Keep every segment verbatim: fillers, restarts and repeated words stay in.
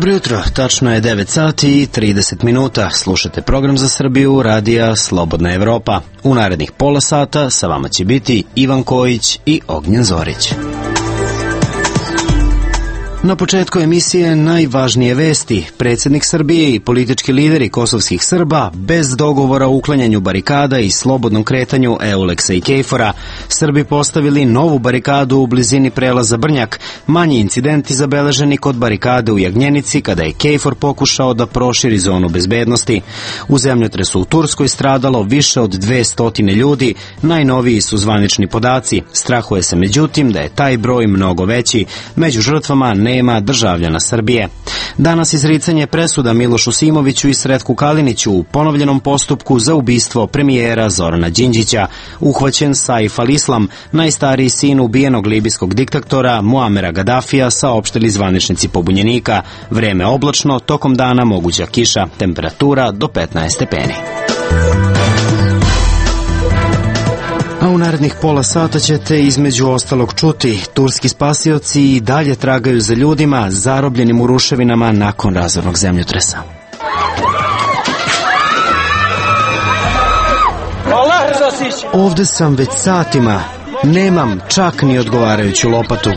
Dobro jutro, tačno je devet sati i trideset minuta. Slušate program za Srbiju radija Slobodna Evropa. U narednih pola sata sa vama će biti Ivan Kojić i Ognjen Zorić. Na početku emisije najvažnije vesti. Predsjednik Srbije i politički lideri kosovskih Srba bez dogovora o uklanjanju barikada i slobodnom kretanju Euleksa i Kejfora. Srbi postavili novu barikadu u blizini prelaza Brnjak. Manji incidenti zabeleženi kod barikade u Jagnjenici kada je Kejfor pokušao da proširi zonu bezbednosti. U zemljotresu u Turskoj stradalo više od dvesta ljudi. Najnoviji su zvanični podaci. Strahuje se međutim da je taj broj mnogo veći. Među žrtvama nema državljana Srbije. Danas izricanje presuda Milošu Simoviću i Sretku Kaliniću u ponovljenom postupku za ubistvo premijera Zorana Đinđića. Uhvaćen Saif al-Islam, najstariji sin ubijenog libijskog diktatora Muamera Gadafija, saopštili zvaničnici pobunjenika. Vreme oblačno, tokom dana moguća kiša, temperatura do petnaest stepeni. A u narednih pola sata ćete između ostalog čuti: turski spasioci i dalje tragaju za ljudima zarobljenim u ruševinama nakon razornog zemljotresa. Ovde sam već satima, nemam čak ni odgovarajuću lopatu.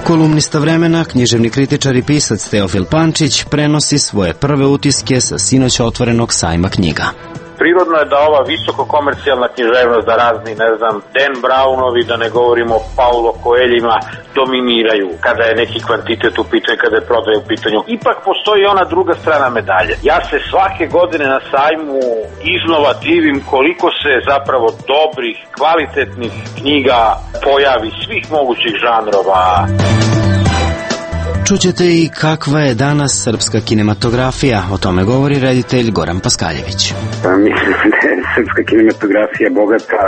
Kolumnista Vremena, književni kritičar i pisac Teofil Pančić prenosi svoje prve utiske sa sinoć otvorenog sajma knjiga. Prirodno je da ova visoko komercijalna književnost, da razni, ne znam, Dan Brownovi, da ne govorimo o Paulo Coelhima, dominiraju kada je neki kvantitet u pitanju, kada je prodaja u pitanju. Ipak postoji ona druga strana medalje. Ja se svake godine na sajmu iznova divim koliko se zapravo dobrih, kvalitetnih knjiga pojavi svih mogućih žanrova. Čućete i kakva je danas srpska kinematografija. O tome govori reditelj Goran Paskaljević. Pa, mislim da je srpska kinematografija bogata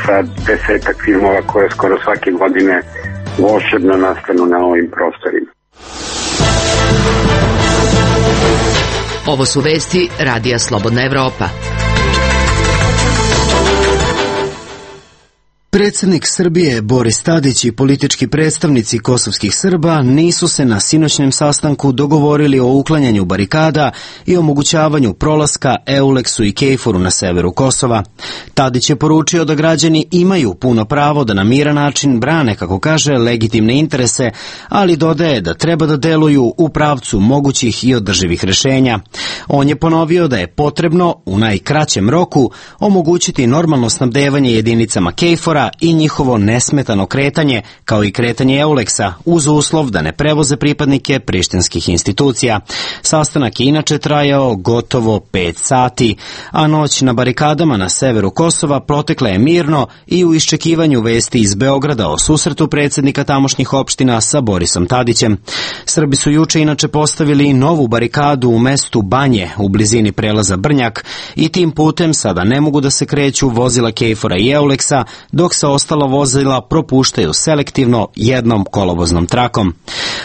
sa desetak filmova koje skoro svake godine volšebno nastanu na ovim prostorima. Ovo su vesti radija Slobodna Evropa. Predsjednik Srbije Boris Tadić i politički predstavnici kosovskih Srba nisu se na sinoćnem sastanku dogovorili o uklanjanju barikada i omogućavanju prolaska Euleksu i Kejforu na severu Kosova. Tadić je poručio da građani imaju puno pravo da na miran način brane, kako kaže, legitimne interese, ali dodaje da treba da deluju u pravcu mogućih i održivih rešenja. On je ponovio da je potrebno u najkraćem roku omogućiti normalno snabdevanje jedinicama Kejfora i njihovo nesmetano kretanje, kao i kretanje Euleksa, uz uslov da ne prevoze pripadnike prištinskih institucija. Sastanak je inače trajao gotovo pet sati, a noć na barikadama na severu Kosova protekla je mirno i u iščekivanju vesti iz Beograda o susretu predsjednika tamošnjih opština sa Borisom Tadićem. Srbi su juče inače postavili novu barikadu u mestu Banje u blizini prelaza Brnjak i tim putem sada ne mogu da se kreću vozila Kejfora i Euleksa, dok se ostala vozila propuštaju selektivno jednom kolovoznom trakom.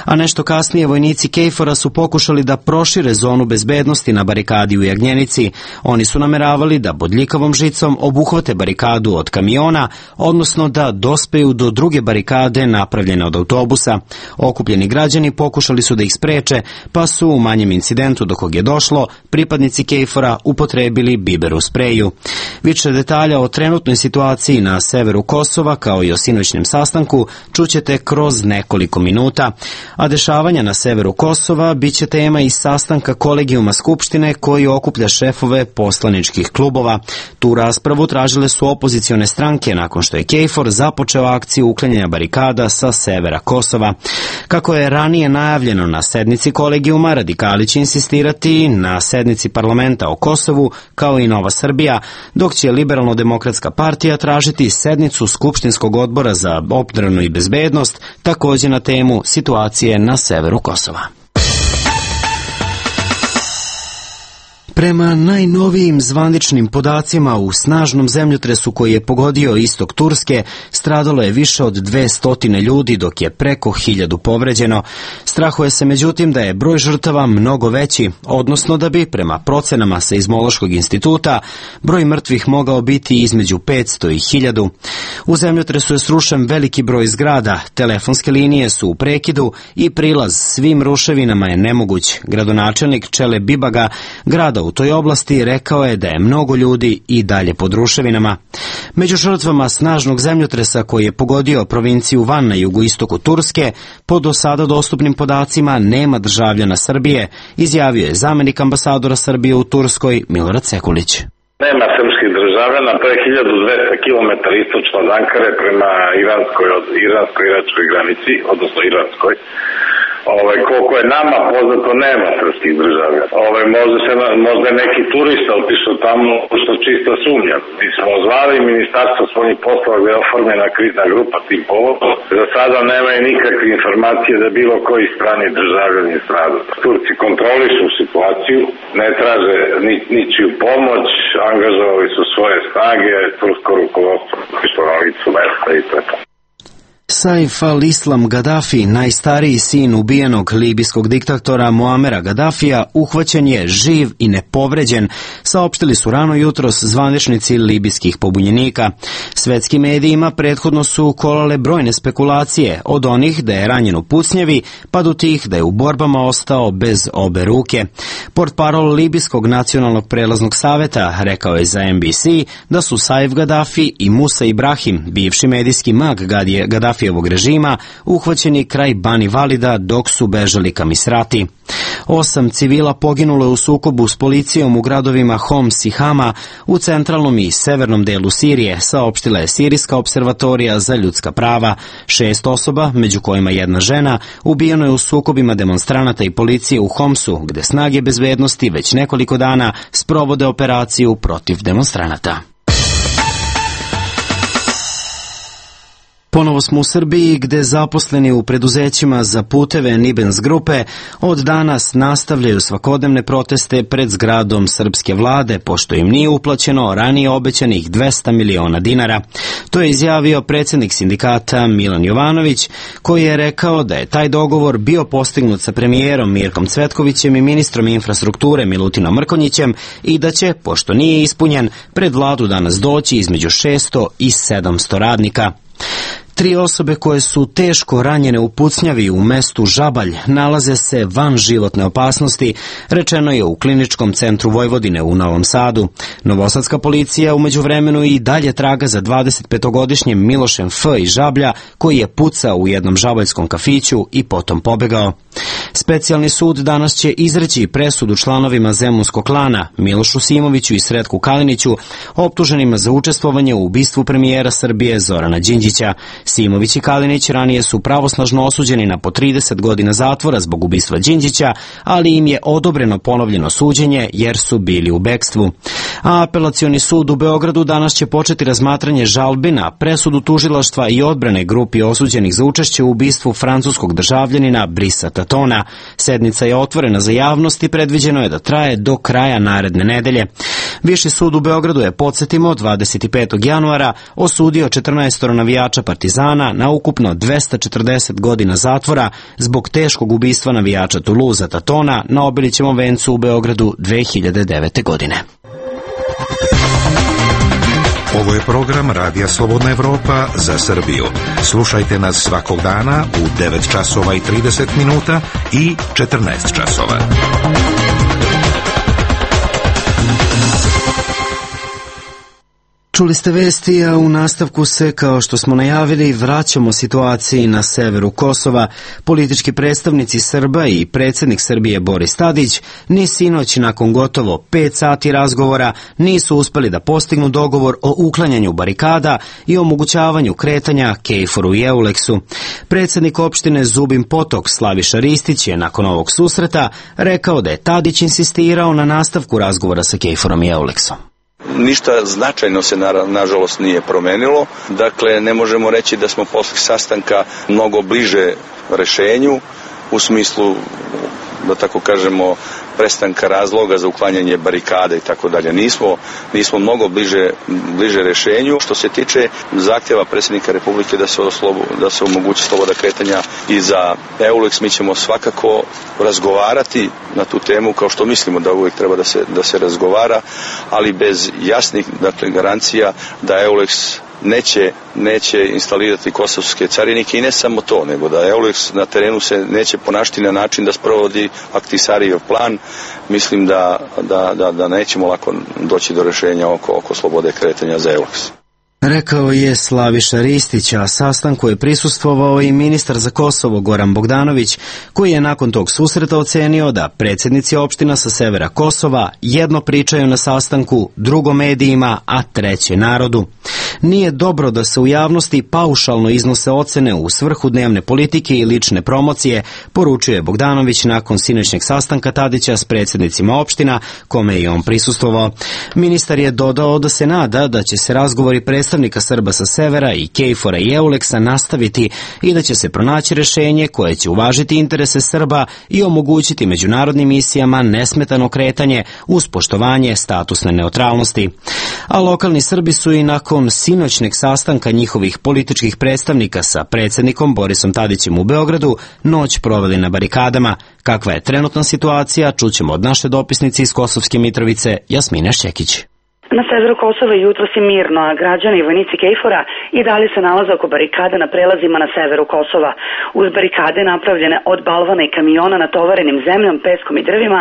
A nešto kasnije vojnici Kejfora su pokušali da prošire zonu bezbednosti na barikadi u Jagnjenici. Oni su nameravali da bodljikavom žicom obuhvate barikadu od kamiona, odnosno da dospeju do druge barikade napravljene od autobusa. Okupljeni građani pokušali su da ih spreče, pa su u manjem incidentu do kog je došlo pripadnici Kejfora upotrebili biber u spreju. Više detalja o trenutnoj situaciji na severu Kosova, kao i o sinoćnem sastanku, čućete kroz nekoliko minuta. A dešavanja na severu Kosova biće tema i sastanka kolegijuma Skupštine koji okuplja šefove poslaničkih klubova. Tu raspravu tražile su opozicione stranke nakon što je Kejfor započeo akciju uklanjanja barikada sa severa Kosova. Kako je ranije najavljeno na sednici kolegijuma, radikali će insistirati na sednici parlamenta o Kosovu, kao i Nova Srbija, dok će Liberalno-demokratska partija tražiti sednicu Skupštinskog odbora za odbranu i bezbednost, također na temu situacije na severu Kosova. Prema najnovijim zvaničnim podacima, u snažnom zemljotresu koji je pogodio istok Turske stradalo je više od dvesta ljudi, dok je preko hiljadu povređeno. Strahuje se međutim da je broj žrtava mnogo veći, odnosno da bi, prema procenama Seizmološkog instituta, broj mrtvih mogao biti između petsto i hiljadu. U zemljotresu je srušen veliki broj zgrada, telefonske linije su u prekidu i prilaz svim ruševinama je nemoguć. Gradonačelnik Čele Bibaga grada u toj oblasti rekao je da je mnogo ljudi i dalje pod ruševinama. Među žrtvama snažnog zemljotresa koji je pogodio provinciju Van na jugoistoku Turske, po do sada dostupnim podacima nema državljana Srbije, izjavio je zamenik ambasadora Srbije u Turskoj Milorad Sekulić. Nema srpskih državljana, to je hiljadu dvesta kilometara istočno od Ankare prema iranskoj, od iransko-iračkoj granici, odnosno iranskoj. Ove, koliko je nama poznato, nema srpskih državljana. Ove, možda, se, možda neki turista otišao tamo, što čisto sumnjam. Mi smo zvali Ministarstvo spoljnih poslova gdje je oformljena krizna grupa tim povodom. Za sada nemaju nikakve informacije da bilo koji strani državljani je stradao. Turci kontrolišu situaciju, ne traže ni, ničiju pomoć, angažovali su svoje snage, tursko rukovodstvo išlo na licu mesta i to je to. Saif al-Islam Gaddafi, najstariji sin ubijenog libijskog diktatora Muamera Gaddafija, uhvaćen je živ i nepovređen, saopštili su rano jutros zvaničnici libijskih pobunjenika. Svetskim medijima prethodno su kolale brojne spekulacije, od onih da je ranjen u pucnjevi, pa do tih da je u borbama ostao bez obe ruke. Portparol Libijskog nacionalnog prelaznog saveta rekao je za N B C da su Saif Gaddafi i Musa Ibrahim, bivši medijski mag Gaddafi ovog režima, uhvaćeni kraj Bani Valida dok su bežali ka Misrati. Osam civila poginulo je u sukobu s policijom u gradovima Homs i Hama u centralnom i severnom delu Sirije, saopštila je Sirijska observatorija za ljudska prava. Šest osoba, među kojima jedna žena, ubijeno je u sukobima demonstranata i policije u Homsu, gde snage bezbednosti već nekoliko dana sprovode operaciju protiv demonstranata. Ponovo smo u Srbiji, gde zaposleni u preduzećima za puteve Nibens grupe od danas nastavljaju svakodnevne proteste pred zgradom srpske vlade, pošto im nije uplaćeno ranije obećanih dvesta miliona dinara. To je izjavio predsjednik sindikata Milan Jovanović, koji je rekao da je taj dogovor bio postignut sa premijerom Mirkom Cvetkovićem i ministrom infrastrukture Milutinom Mrkonjićem i da će, pošto nije ispunjen, pred vladu danas doći između šesto i sedamsto radnika. Tri osobe koje su teško ranjene u pucnjavi u mestu Žabalj nalaze se van životne opasnosti, rečeno je u Kliničkom centru Vojvodine u Novom Sadu. Novosadska policija u međuvremenu i dalje traga za dvadesetpetogodišnjim Milošem F. iz Žablja, koji je pucao u jednom žabaljskom kafiću i potom pobegao. Specijalni sud danas će izreći presudu članovima Zemunskog klana, Milošu Simoviću i Sretku Kaliniću, optuženima za učestvovanje u ubistvu premijera Srbije Zorana Đinđića. Simović i Kalinić ranije su pravosnažno osuđeni na po trideset godina zatvora zbog ubistva Đinđića, ali im je odobreno ponovljeno suđenje jer su bili u bekstvu. A Apelacioni sud u Beogradu danas će početi razmatranje žalbi na presudu tužilaštva i odbrane grupi osuđenih za učešće u ubistvu francuskog državljanina Brisa Tatona. Sednica je otvorena za javnost i predviđeno je da traje do kraja naredne nedelje. Viši sud u Beogradu je, podsjetimo, dvadeset petog januara osudio četrnaest navijača Partizana na ukupno dvesta četrdeset godina zatvora zbog teškog ubistva navijača Toulouse Tatona na Obilićevom vencu u Beogradu dve hiljade devete. godine. Ovo je program Radija Slobodna Evropa za Srbiju. Slušajte nas svakog dana u devet časova i trideset minuta i četrnaest časova. Čuli ste vesti, a u nastavku se, kao što smo najavili, vraćamo situaciji na severu Kosova. Politički predstavnici Srba i predsjednik Srbije Boris Tadić ni sinoć nakon gotovo pet sati razgovora nisu uspeli da postignu dogovor o uklanjanju barikada i omogućavanju kretanja Kejforu i Euleksu. Predsjednik opštine Zubin Potok Slaviša Ristić je nakon ovog susreta rekao da je Tadić insistirao na nastavku razgovora sa Kejforom i Euleksom. Ništa značajno se na, nažalost nije promenilo, dakle ne možemo reći da smo posle sastanka mnogo bliže rešenju u smislu, da tako kažemo, prestanka razloga za uklanjanje barikade i tako dalje. Nismo, nismo mnogo bliže, bliže rešenju. Što se tiče zahtjeva predsjednika Republike da se, oslobu, da se omogući sloboda kretanja i za EULEX, mi ćemo svakako razgovarati na tu temu, kao što mislimo da uvijek treba da se, da se razgovara, ali bez jasnih, dakle, garancija da EULEX neće, neće instalirati kosovske carinike, i ne samo to, nego da EULEX na terenu se neće ponašati na način da sprovodi Ahtisarijev plan. Mislim da, da, da, da nećemo lako doći do rješenja oko, oko slobode kretanja za EULEX. Rekao je Slaviša Ristić, a sastanku je prisustvovao i ministar za Kosovo Goran Bogdanović, koji je nakon tog susreta ocenio da predsjednici opština sa severa Kosova jedno pričaju na sastanku, drugo medijima, a treće narodu. Nije dobro da se u javnosti paušalno iznose ocene u svrhu dnevne politike i lične promocije, poručuje Bogdanović nakon sinoćnjeg sastanka Tadića s predsjednicima opština, kome je i on prisustvovao. Ministar je dodao da se nada da će se razgovori predstavnika Srba sa severa i KFOR-a i EULEX-a nastaviti i da će se pronaći rješenje koje će uvažiti interese Srba i omogućiti međunarodnim misijama nesmetano kretanje uz poštovanje statusne neutralnosti. A lokalni Srbi su i nakon sinoćneg sastanka njihovih političkih predstavnika sa predsjednikom Borisom Tadićem u Beogradu noć proveli na barikadama. Kakva je trenutna situacija, čućemo od naše dopisnice iz Kosovske Mitrovice, Jasmine Šćekić. Na severu Kosova jutros je mirno, a građani i vojnici KFOR-a i dalje se nalaze oko barikada na prelazima na severu Kosova. Uz barikade napravljene od balvana i kamiona natovarenim zemljom, peskom i drvima,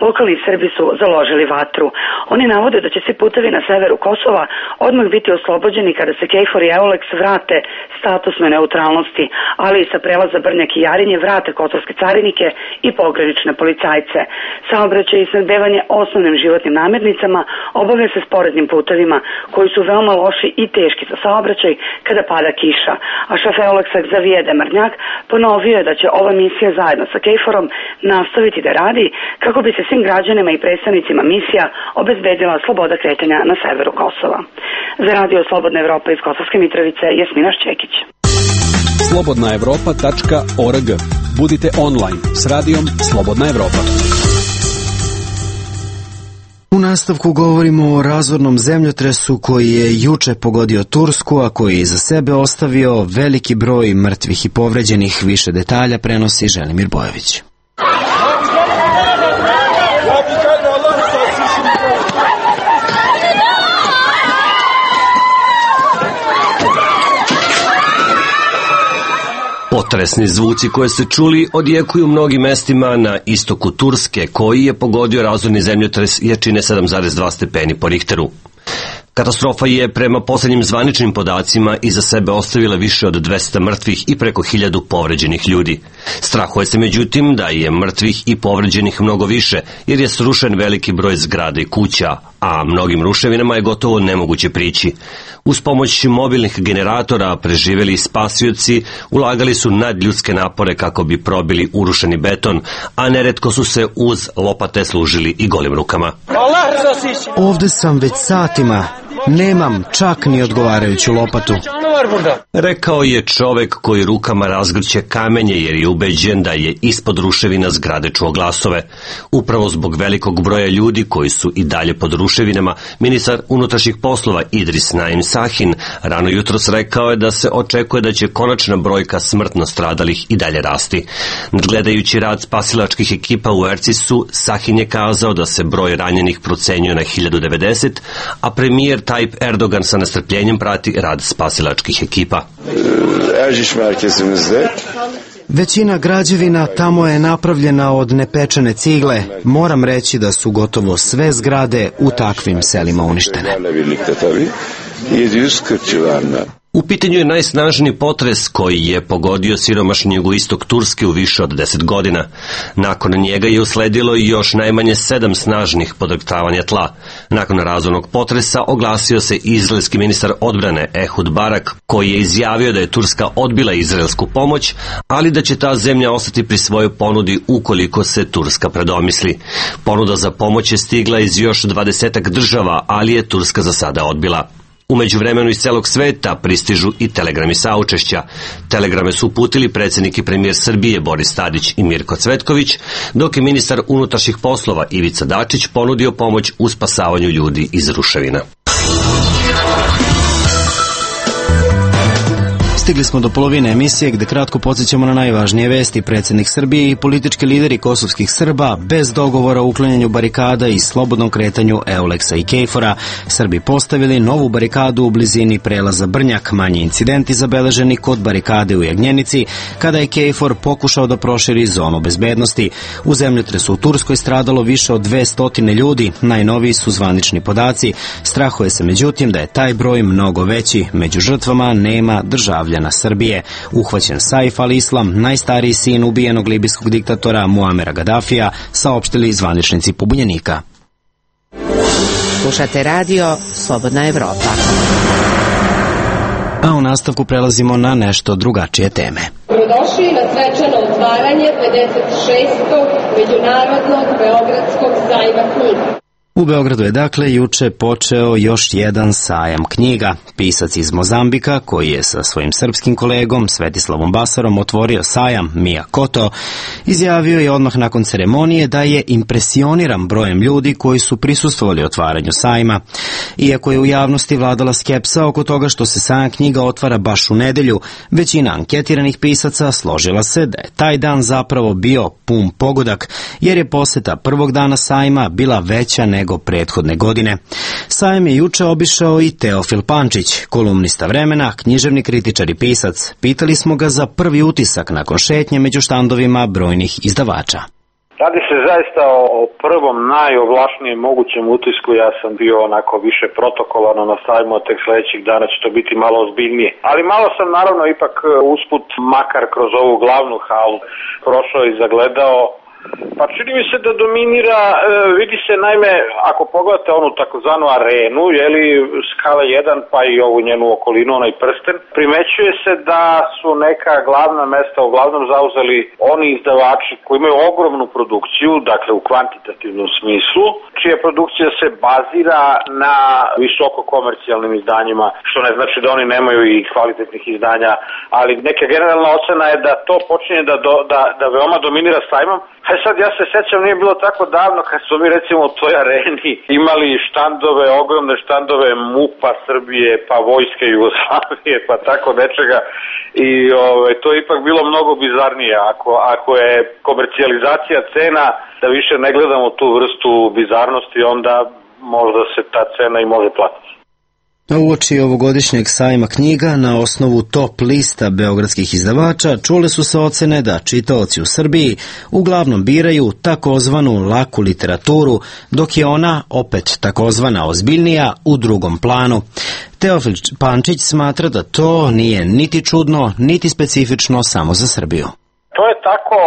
lokalni Srbi su založili vatru. Oni navode da će svi putevi na severu Kosova odmah biti oslobođeni kada se KFOR i EULEX vrate statusnoj neutralnosti, ali i sa prelaza Brnjak i Jarinje vrate kosovske carinike i pogranične policajce. Saobraćaj i snabdevanje osnovnim životnim namirnicama obavlja se sporednim putevima, koji su veoma loši i teški za saobraćaj kada pada kiša. A šef EULEX-a Xavier Demarnjak ponovio je da će ova misija zajedno sa KFOR-om nastaviti da radi kako bi se svim građanima i predstavnicima misija obezbedila sloboda kretanja na severu Kosova. Za radio Slobodna Evropa iz Kosovske Mitrovice, Jasmina Šćekić. slobodna evropa tačka org. Budite online s radijom Slobodna Evropa. U nastavku govorimo o razornom zemljotresu koji je juče pogodio Tursku, a koji je iza sebe ostavio veliki broj mrtvih i povređenih. Više detalja prenosi Želimir Bojović. Potresni zvuci koje ste čuli odjekuju mnogim mestima na istoku Turske, koji je pogodio razorni zemljotres jačine sedam zarez dva stepeni po Richteru. Katastrofa je prema posljednjim zvaničnim podacima iza sebe ostavila više od dvesta mrtvih i preko hiljadu povređenih ljudi. Strahuje se međutim da je mrtvih i povređenih mnogo više, jer je srušen veliki broj zgrada i kuća, a mnogim ruševinama je gotovo nemoguće prići. Uz pomoć mobilnih generatora preživjeli spasioci ulagali su nadljudske napore kako bi probili urušeni beton, a neretko su se uz lopate služili i golim rukama. Ovde sam već satima. Nemam čak ni odgovarajuću lopatu. Rekao je čovek koji rukama razgrće kamenje jer je ubeđen da je ispod ruševina zgrade čuo glasove. Upravo zbog velikog broja ljudi koji su i dalje pod ruševinama, ministar unutrašnjih poslova Idris Naim Sahin rano jutros rekao je da se očekuje da će konačna brojka smrtno stradalih i dalje rasti. Nadgledajući rad spasilačkih ekipa u Ercisu, Sahin je kazao da se broj ranjenih procenjuje na hiljadu devedeset, a premijer Tayyip Erdogan sa nestrpljenjem prati rad spasilačkih ekipa. Erciš merkezimizde Većina građevina tamo je napravljena od nepečene cigle. Moram reći da su gotovo sve zgrade u takvim selima uništene. U pitanju je najsnažniji potres koji je pogodio siromašni jugoistok Turske u više od deset godina. Nakon njega je usledilo i još najmanje sedam snažnih podrhtavanja tla. Nakon razornog potresa oglasio se izraelski ministar odbrane Ehud Barak, koji je izjavio da je Turska odbila izraelsku pomoć, ali da će ta zemlja ostati pri svojoj ponudi ukoliko se Turska predomisli. Ponuda za pomoć je stigla iz još dvadesetak država, ali je Turska za sada odbila. U međuvremenu iz celog sveta pristižu i telegrami saučešća. Telegrame su uputili predsjednik i premijer Srbije Boris Tadić i Mirko Cvetković, dok je ministar unutrašnjih poslova Ivica Dačić ponudio pomoć u spasavanju ljudi iz ruševina. Stigli smo do polovine emisije gde kratko podsjećamo na najvažnije vesti. Predsjednik Srbije i politički lideri kosovskih Srba bez dogovora o uklanjanju barikada i slobodnom kretanju Euleksa i Kejfora. Srbi postavili novu barikadu u blizini prelaza Brnjak. Manji incidenti zabeleženi kod barikade u Jagnjenici kada je Kejfor pokušao da proširi zonu bezbednosti. U zemljotresu u Turskoj stradalo više od dvesta ljudi. Najnoviji su zvanični podaci. Strahuje se međutim da je taj broj mnogo veći. Među žrtvama nema državljana Srbije. Uhvaćen Saif al-Islam, najstariji sin ubijenog libijskog diktatora Muamera Gaddafija, saopštili zvaničnici pobunjenika. Slušate radio Slobodna Evropa. A u nastavku prelazimo na nešto drugačije teme. Dobrodošli na svečano otvaranje pedeset šestog Međunarodnog Beogradskog sajma knjiga. U Beogradu je dakle juče počeo još jedan sajam knjiga. Pisac iz Mozambika, koji je sa svojim srpskim kolegom Svetislavom Basarom otvorio sajam, Mija Koto, izjavio je odmah nakon ceremonije da je impresioniran brojem ljudi koji su prisustvovali otvaranju sajma. Iako je u javnosti vladala skepsa oko toga što se sajam knjiga otvara baš u nedelju, većina anketiranih pisaca složila se da je taj dan zapravo bio pun pogodak, jer je poseta prvog dana sajma bila veća nego nego prethodne godine. Sajam je juče obišao i Teofil Pančić, kolumnista Vremena, književni kritičar i pisac. Pitali smo ga za prvi utisak nakon šetnje među štandovima brojnih izdavača. Radi se zaista o prvom najovlašnijem mogućem utisku. Ja sam bio onako više protokolarno na sajmu, tek sledećih dana će to biti malo ozbiljnije. Ali malo sam naravno ipak usput, makar kroz ovu glavnu halu, prošao i zagledao. Pa čini mi se da dominira, e, vidi se naime, ako pogledate onu takozvanu arenu, jeli, skala jedan pa i ovu njenu okolinu, onaj prsten, primećuje se da su neka glavna mesta uglavnom zauzeli oni izdavači koji imaju ogromnu produkciju, dakle u kvantitativnom smislu, čija produkcija se bazira na visoko komercijalnim izdanjima, što ne znači da oni nemaju i kvalitetnih izdanja, ali neka generalna ocena je da to počinje da, do, da, da veoma dominira sajmom. E sad, ja se sećam, nije bilo tako davno kad su mi recimo u toj areni imali štandove, ogromne štandove MUP-a Srbije, pa Vojske Jugoslavije, pa tako nečega. I ove, to je ipak bilo mnogo bizarnije. Ako, ako je komercijalizacija cena, da više ne gledamo tu vrstu bizarnosti, onda možda se ta cena i može platiti. Uoči ovogodišnjeg sajma knjiga na osnovu top lista beogradskih izdavača čule su se ocene da čitaoci u Srbiji uglavnom biraju takozvanu laku literaturu, dok je ona, opet takozvana ozbiljnija, u drugom planu. Teofil Pančić smatra da to nije niti čudno, niti specifično samo za Srbiju. To je tako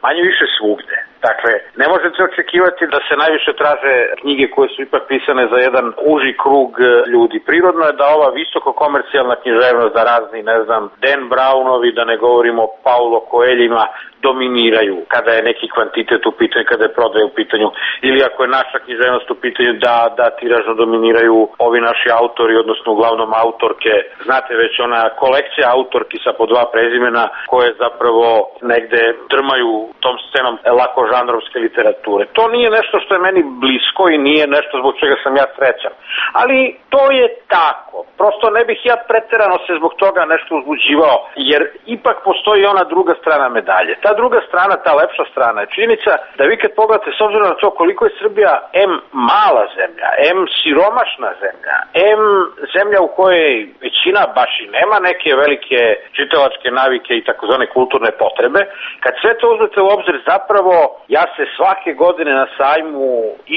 manje više svugde. Dakle, ne možete očekivati da se najviše traže knjige koje su ipak pisane za jedan uži krug ljudi. Prirodno je da ova visoko komercijalna književnost, da razni, ne znam, Dan Brownovi, da ne govorimo o Paulo Coelhima, dominiraju kada je neki kvantitet u pitanju, kada je prodaja u pitanju, ili ako je naša književnost u pitanju, da, da tiražno dominiraju ovi naši autori, odnosno uglavnom autorke. Znate već ona kolekcija autorki sa po dva prezimena koje zapravo negde drmaju tom scenom lako žanrovske literature. To nije nešto što je meni blisko i nije nešto zbog čega sam ja srećan. Ali to je tako. Prosto ne bih ja preterano se zbog toga nešto uzbuđivao, jer ipak postoji ona druga strana medalje. Ta druga strana, ta lepša strana je činjenica da vi kad pogledate s obzirom na to koliko je Srbija em mala zemlja, em siromašna zemlja, em zemlja u kojoj većina baš i nema neke velike čitalačke navike i takozvane kulturne potrebe, kad sve to uzmete u obzir, zapravo ja se svake godine na sajmu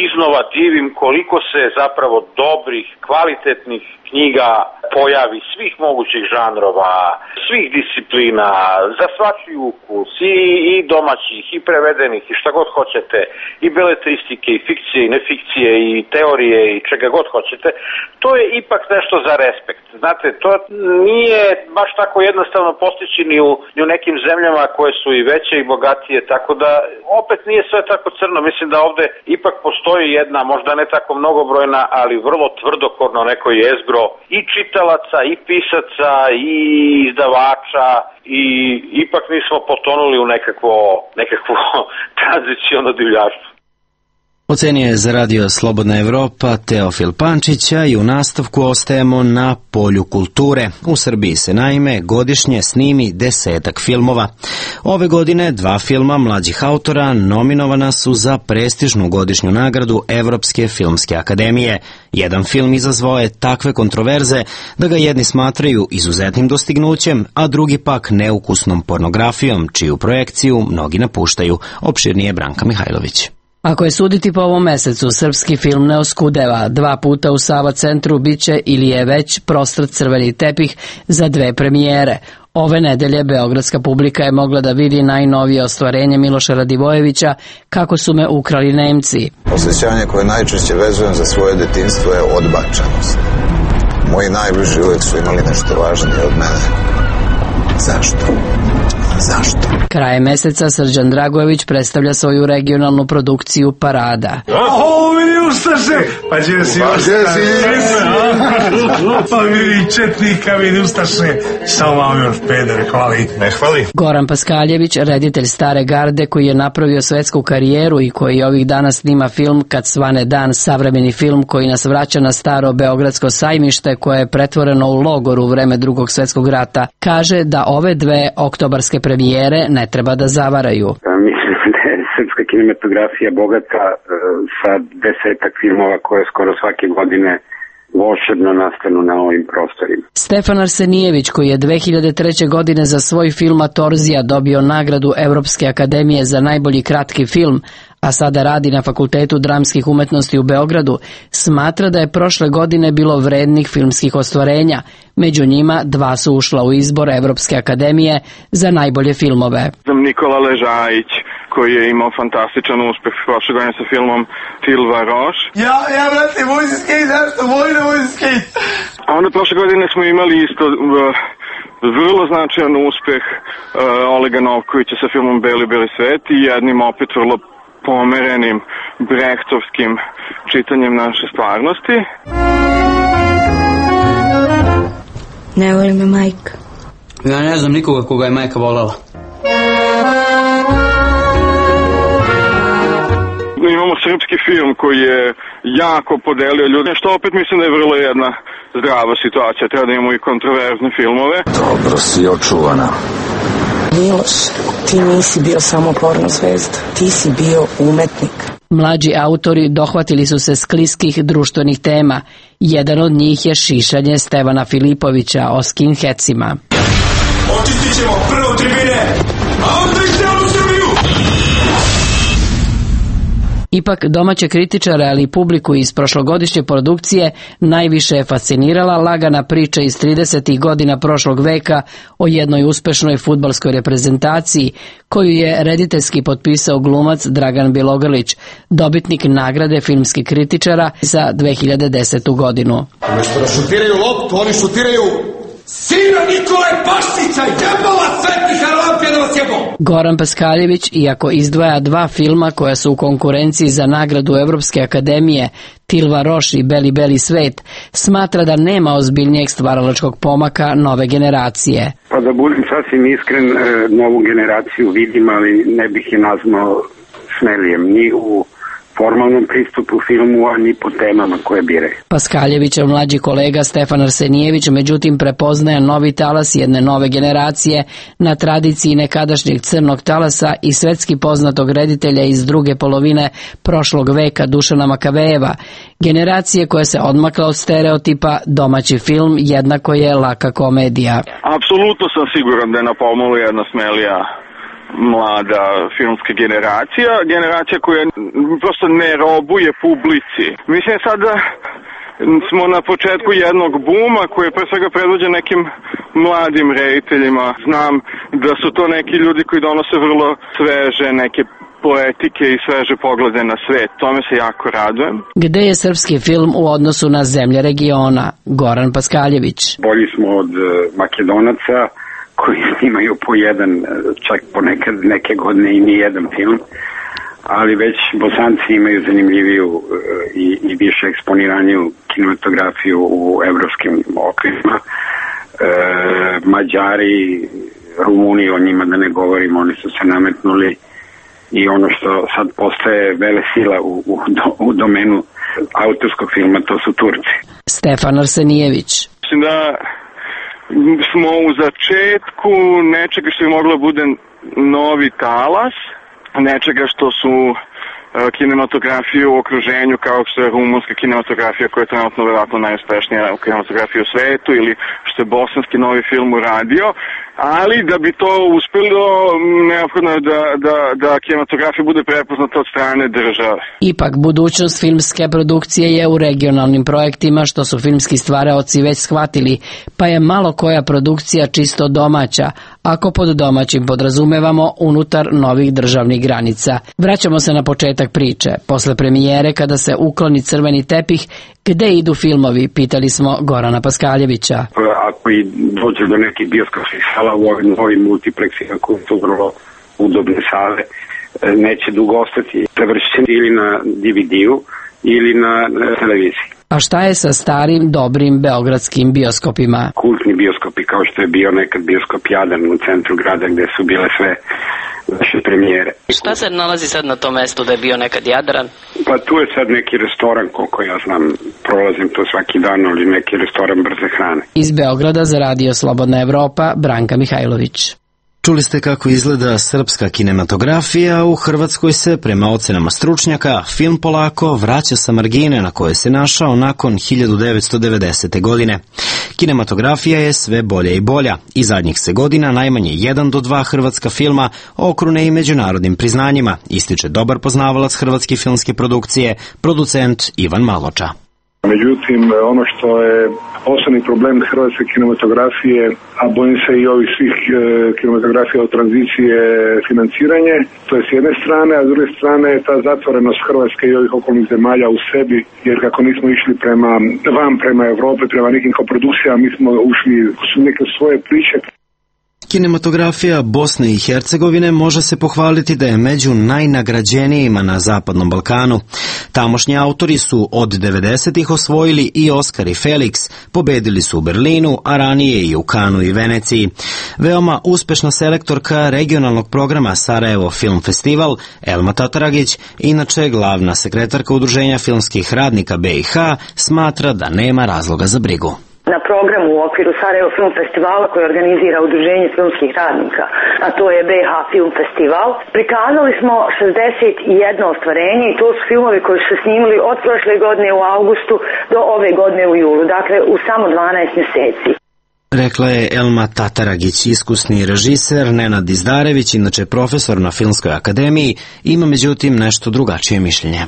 iznova divim koliko se zapravo dobrih, kvalitetnih knjiga pojavi svih mogućih žanrova, svih disciplina, za svaki ukus, i, i domaćih, i prevedenih, i šta god hoćete, i beletristike, i fikcije, i nefikcije, i teorije, i čega god hoćete, to je ipak nešto za respekt. Znate, to nije baš tako jednostavno postići ni u, ni u nekim zemljama koje su i veće i bogatije, tako da opet nije sve tako crno. Mislim da ovde ipak postoji jedna, možda ne tako mnogobrojna, ali vrlo tvrdokorno neko jezgro i čitalaca, i pisaca, i izdavača, i ipak nismo potonuli u nekakvo, nekakvo tranziciono divljaštvo. Ocenio je za radio Slobodna Evropa Teofil Pančića i u nastavku ostajemo na polju kulture. U Srbiji se naime godišnje snimi desetak filmova. Ove godine dva filma mlađih autora nominovana su za prestižnu godišnju nagradu Evropske filmske akademije. Jedan film izazvao je takve kontroverze da ga jedni smatraju izuzetnim dostignućem, a drugi pak neukusnom pornografijom, čiju projekciju mnogi napuštaju. Opširnije Branka Mihajlović. Ako je suditi po ovom mesecu, srpski film ne oskudeva. Dva puta u Sava centru biće ili je već prostrt crveni tepih za dve premijere. Ove nedelje beogradska publika je mogla da vidi najnovije ostvarenje Miloša Radivojevića Kako su me ukrali Nemci. Osjećanje koje najčešće vezujem za svoje detinjstvo je odbačenost. Moji najbliži uvek su imali nešto važnije od mene. Zašto? Zašto? Krajem meseca Srđan Dragojević predstavlja svoju regionalnu produkciju Parada. O, vidi Ustaše! Pa gdje si Ustaše? Pa vidi Četnika, vidi Ustaše. Samo vam još peder, hvali. Ne hvali. Goran Paskaljević, reditelj Stare garde koji je napravio svetsku karijeru i koji ovih dana snima film Kad svane dan, savremeni film koji nas vraća na staro beogradsko sajmište koje je pretvoreno u logor u vreme Drugog svetskog rata, kaže da ove dve oktobarske premijere ne treba da zavaraju. Mislim da je srpska kinematografija bogata sa desetak filmova koje skoro svake godine volšebno nastanu na ovim prostorima. Stefan Arsenijević, koji je dve hiljade treće. godine za svoj film Atorzija dobio nagradu Evropske akademije za najbolji kratki film, a sada radi na Fakultetu dramskih umetnosti u Beogradu, smatra da je prošle godine bilo vrednih filmskih ostvarenja. Među njima dva su ušla u izbor Evropske akademije za najbolje filmove. Nikola Ležajić, koji je imao fantastičan uspeh prošle godine sa filmom Tilva Roš. Ja, ja, brate, moj se skejt, zašto? Moj ne moj se skejt. A onda prošle godine smo imali isto uh, vrlo značajan uspeh uh, Olega Novkovića sa filmom Beli, beli svet i jednim opet vrlo pomerenim brehtovskim čitanjem naše stvarnosti. Ne voli me majka. Ja ne znam nikoga koga je majka volala. Imamo srpski film koji je jako podelio ljude, što opet mislim da je vrlo jedna zdrava situacija. Treba da imamo i kontroverzne filmove. Dobro si očuvana. Miloš, ti nisi bio samo porno zvezda, ti si bio umetnik. Mlađi autori dohvatili su se skliskih društvenih tema. Jedan od njih je šišanje Stevana Filipovića o skinheadsima. Očistit ćemo prvo tribine, a onda i celu Srbiju! Ipak domaće kritičare, ali i publiku iz prošlogodišnje produkcije najviše je fascinirala lagana priča iz tridesetih godina prošlog veka o jednoj uspešnoj fudbalskoj reprezentaciji koju je rediteljski potpisao glumac Dragan Bilogrlić, dobitnik nagrade filmskih kritičara za dve hiljade desetu. godinu. Umesto da šutiraju loptu, oni šutiraju sina Nikole Paščića, jebala sveti Harlampija da vas jebao! Goran Paskaljević, iako izdvaja dva filma koja su u konkurenciji za nagradu Evropske akademije, Tilva Roš i Beli, beli svet, smatra da nema ozbiljnijeg stvaralačkog pomaka nove generacije. Pa da budem sasvim iskren, novu generaciju vidim, ali ne bih je nazvao smelijem ni u formalnom pristupu filmu, a ni po temama koje biraju. Paskaljevićev mlađi kolega Stefan Arsenijević međutim prepoznaje novi talas jedne nove generacije na tradiciji nekadašnjeg crnog talasa i svetski poznatog reditelja iz druge polovine prošlog veka Dušana Makavejeva, generacije koja se odmakla od stereotipa domaći film jednako je laka komedija. Apsolutno sam siguran da je na pomolu jedna smelija mlada filmska generacija, generacija koja prosto ne robuje publici. Mislim sad da smo na početku jednog buma koji je pre svega predvođen nekim mladim rediteljima. Znam da su to neki ljudi koji donose vrlo sveže neke poetike i sveže poglede na svet. Tome se jako radujem. Gde je srpski film u odnosu na zemlje regiona? Goran Paskaljević. Bolji smo od Makedonaca koji snimaju po jedan, čak ponekad neke godine i ni jedan film, ali već Bosanci imaju zanimljiviju i, i više eksponiraniju kinematografiju u evropskim okvirima. E, Mađari, Rumuni, o njima da ne govorimo, oni su se nametnuli i ono što sad postaje vele sila u, u, u domenu autorskog filma, to su Turci. Stefan Arsenijević. Mislim da smo u začetku nečega što je moglo bude novi talas, nečega što su kinematografije u okruženju kao što je rumunska kinematografija koja je trenutno vjerojatno najuspešnija kinematografija u svetu ili što je bosanski novi film uradio, ali da bi to uspelo neophodno je da, da, da kinematografija bude prepoznata od strane države. Ipak budućnost filmske produkcije je u regionalnim projektima što su filmski stvaraoci već shvatili, pa je malo koja produkcija čisto domaća, ako pod domaćim podrazumevamo unutar novih državnih granica. Vraćamo se na početak priče. Posle premijere, kada se ukloni crveni tepih, gde idu filmovi, pitali smo Gorana Paskaljevića. Ako i dođe do nekih bioskopskih sala u ovim novim multiplexima koji su vrlo udobne sale, neće dugo ostati prevršeni ili na D V D-u ili na televiziji. A šta je sa starim, dobrim beogradskim bioskopima? Kultni bioskopi kao što je bio nekad bioskop Jadran u centru grada gde su bile sve naše premijere. Šta se nalazi sad na tom mestu da je bio nekad Jadran? Pa tu je sad neki restoran, koliko ja znam, prolazim to svaki dan, ali neki restoran brze hrane. Iz Beograda za Radio Slobodna Evropa, Branka Mihajlović. Čuli ste kako izgleda srpska kinematografija. U Hrvatskoj se, prema ocenama stručnjaka, film polako vraća sa margine na koje se našao nakon hiljadu devetsto devedesete. godine. Kinematografija je sve bolja i bolja i zadnjih se godina najmanje jedan do dva hrvatska filma okrune i međunarodnim priznanjima, ističe dobar poznavalac hrvatske filmske produkcije, producent Ivan Maloča. Međutim, ono što je osnovni problem hrvatske kinematografije, a bojim se i ovih svih e, kinematografija od tranzicije financiranje, to je s jedne strane, a s druge strane je ta zatvorenost Hrvatske i ovih okolnih zemalja u sebi, jer kako nismo išli prema van, prema Evrope, prema nekim koprodukcijama, mi smo ušli u neke svoje priče. Kinematografija Bosne i Hercegovine može se pohvaliti da je među najnagrađenijima na Zapadnom Balkanu. Tamošnji autori su od devedesetih osvojili i Oskar i Felix, pobedili su u Berlinu, a ranije i u Kanu i Veneciji. Veoma uspešna selektorka regionalnog programa Sarajevo Film Festival, Elma Tataragić, inače glavna sekretarka Udruženja filmskih radnika B i H, smatra da nema razloga za brigu. Na programu u okviru Sarajevo Film Festivala koji organizira Udruženje filmskih radnika, a to je B H Film Festival, prikazali smo šezdeset jedno ostvarenje i to su filmovi koji su se snimali od prošle godine u avgustu do ove godine u julu, dakle u samo dvanaest mjeseci. Rekla je Elma Tataragić, iskusni režiser. Nenad Dizdarević, inače profesor na Filmskoj akademiji, ima međutim nešto drugačije mišljenje.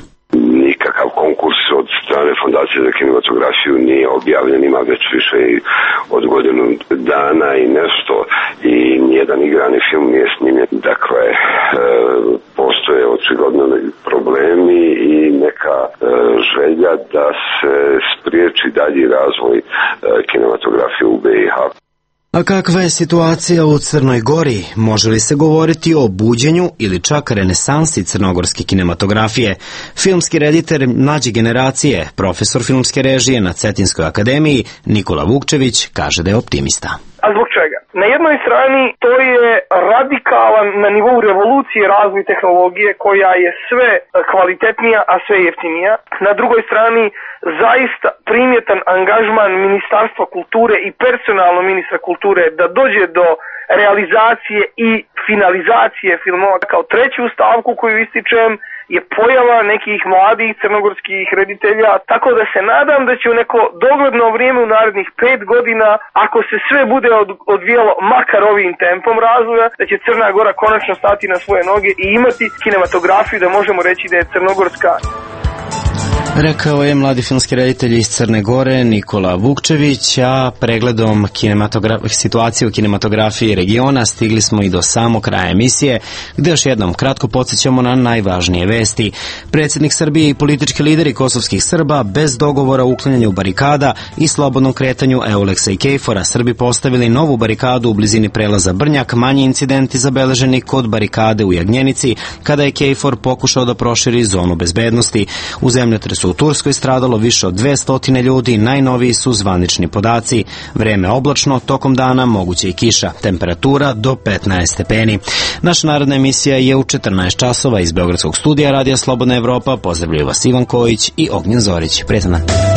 Nikakav konkurs od strane Fondacije za kinematografiju nije objavljen, ima već više od godinu dana i nešto i nijedan igrani film nije snimljen. Dakle, e, postoje očigledno problemi i neka e, želja da se spriječi dalji razvoj e, kinematografije u B i H. A kakva je situacija u Crnoj Gori? Može li se govoriti o buđenju ili čak renesansi crnogorske kinematografije? Filmski reditelj mlađe generacije, profesor filmske režije na Cetinskoj akademiji, Nikola Vukčević, kaže da je optimista. A zbog čega? Na jednoj strani to je radikalan na nivou revolucije razvoj tehnologije koja je sve kvalitetnija, a sve jeftinija. Na drugoj strani zaista primjetan angažman Ministarstva kulture i personalno ministra kulture da dođe do realizacije i finalizacije filmova. Kao treću stavku koju ističem je pojava nekih mladih crnogorskih reditelja, tako da se nadam da će u neko dogledno vrijeme u narednih pet godina, ako se sve bude odvijalo makar ovim tempom razvoja, da će Crna Gora konačno stati na svoje noge i imati kinematografiju da možemo reći da je crnogorska. Rekao je mladi filmski reditelj iz Crne Gore Nikola Vukčević, a pregledom situacije u kinematografiji regiona stigli smo i do samog kraja emisije, gde još jednom kratko podsjećamo na najvažnije vesti. Predsjednik Srbije i politički lideri kosovskih Srba bez dogovora o uklanjanju barikada i slobodnom kretanju Euleksa i Kejfora Srbi postavili novu barikadu u blizini prelaza Brnjak, manji incidenti zabeleženi kod barikade u Jagnjenici, kada je Kejfor pokušao da proširi zonu bezbednosti. U zemljotresu u Turskoj stradalo više od dvesta ljudi, najnoviji su zvanični podaci. Vreme oblačno, tokom dana moguće i kiša, temperatura do petnaest stepeni. Naša narodna emisija je u četrnaest časova iz Beogradskog studija Radija Slobodna Evropa. Pozdravljaju vas Ivan Kojić i Ognjen Zorić. Prijetan dan.